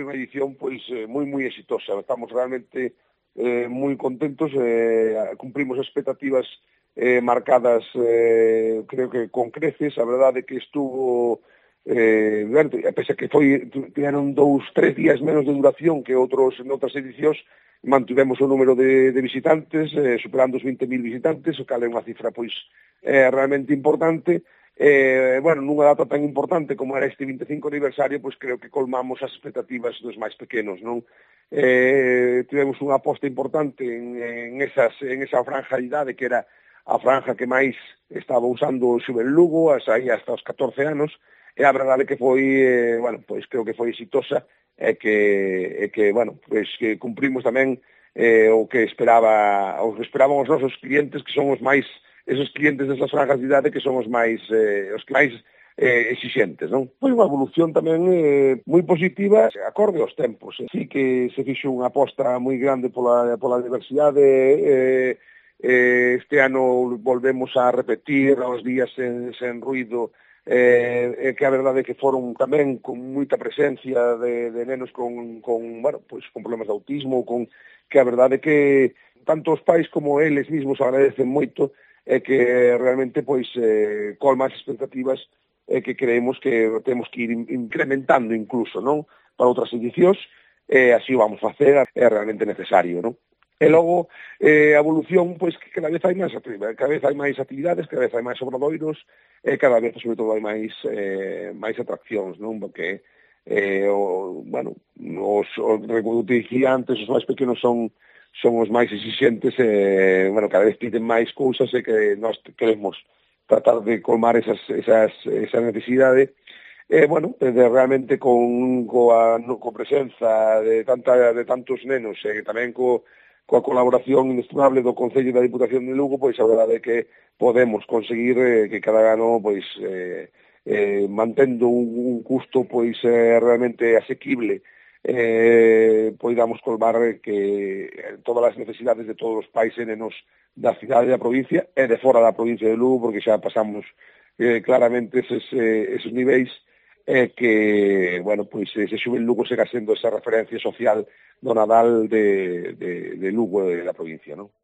foi unha edición pois moi exitosa. Estamos realmente moi contentos, cumprimos expectativas marcadas, creo que con creces. A verdade que estuvo, pese a que tiveron 2-3 días menos de duración que noutras edicións, mantivemos o número de visitantes, superando os 20.000 visitantes, o cal é unha cifra pois realmente importante. Nunha data tan importante como era este 25 aniversario, pois creo que colmamos as expectativas dos máis pequenos, non? Tivemos unha aposta importante en esa franja de idade, que era a franja que máis estaba usando o Xuven Lugo, aí hasta os 14 anos, e a verdade que foi, pois creo que foi exitosa, que cumprimos tamén o que esperaban os nosos clientes, que son esos clientes desas franjas de idade que son os que máis exixentes, non? Foi unha evolución tamén moi positiva, acorde aos tempos. Sí que se fixo unha aposta moi grande pola diversidade. Este ano volvemos a repetir os días sen ruido, que a verdade é que foron tamén con moita presencia de nenos con problemas de autismo, que a verdade é que tanto os pais como eles mesmos agradecen moito, que realmente pois colma as expectativas, que creemos que temos que ir incrementando incluso, non? Para outras edicións, así o vamos facer, é realmente necesario, non? E logo, a evolución, pois que cada vez hai máis actividades, cada vez hai máis obradoiros, e cada vez, sobre todo, hai máis atraccións, non? Porque, como te dicía antes, os máis pequenos son os máis exixentes, cada vez piden máis cousas, e que nós queremos tratar de colmar esa necesidade, realmente coa presenza de tantos nenos, e tamén coa colaboración inestimable do Concello e da Diputación de Lugo, pois a verdade é que podemos conseguir que cada ano, pois, mantendo un custo pois realmente asequible, poidamos colmar que todas as necesidades de todos os pais e nenos da cidade e da provincia e de fora da provincia de Lugo, porque xa pasamos claramente esos niveis, que, ese Xuven Lugo siga sendo esa referencia social do Nadal de Lugo e da provincia, non?